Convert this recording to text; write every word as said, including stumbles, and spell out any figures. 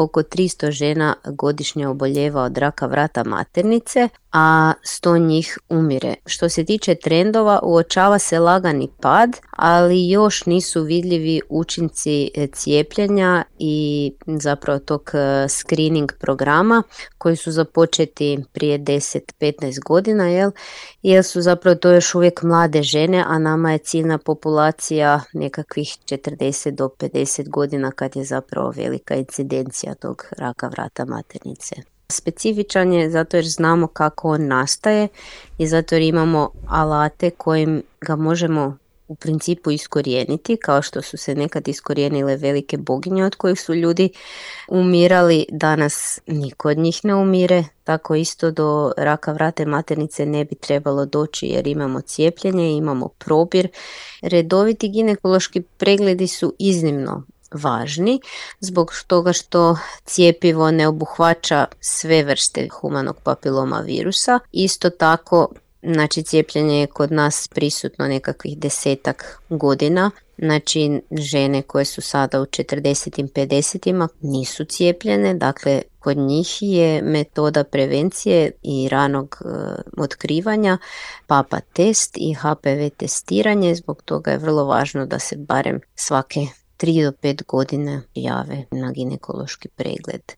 oko tristo žena godišnje oboljeva od raka vrata maternice, a sto njih umire. Što se tiče trendova, uočava se lagani pad, ali još nisu vidljivi učinci cijepljenja i zapravo tog screening programa koji su započeti prije deset do petnaest godina, jel? Jer su zapravo to još uvijek mlade žene, a nama je ciljna populacija nekakvih četrdeset do pedeset godina kad je zapravo velika incidencija tog raka vrata maternice. Specifičan je zato jer znamo kako on nastaje i zato jer imamo alate kojim ga možemo u principu iskorijeniti, kao što su se nekad iskorijenile velike boginje od kojih su ljudi umirali. Danas niko od njih ne umire, tako isto do raka vrata maternice ne bi trebalo doći jer imamo cijepljenje, imamo probir. Redoviti ginekološki pregledi su iznimno važni zbog toga što cjepivo ne obuhvaća sve vrste humanog papiloma virusa. Isto tako, znači cijepljenje je kod nas prisutno nekakvih desetak godina. Znači žene koje su sada u četrdesetim, pedesetima nisu cijepljene, dakle kod njih je metoda prevencije i ranog e, otkrivanja papa test i H P V testiranje. Zbog toga je vrlo važno da se barem svake tri do pet godine jave na ginekološki pregled.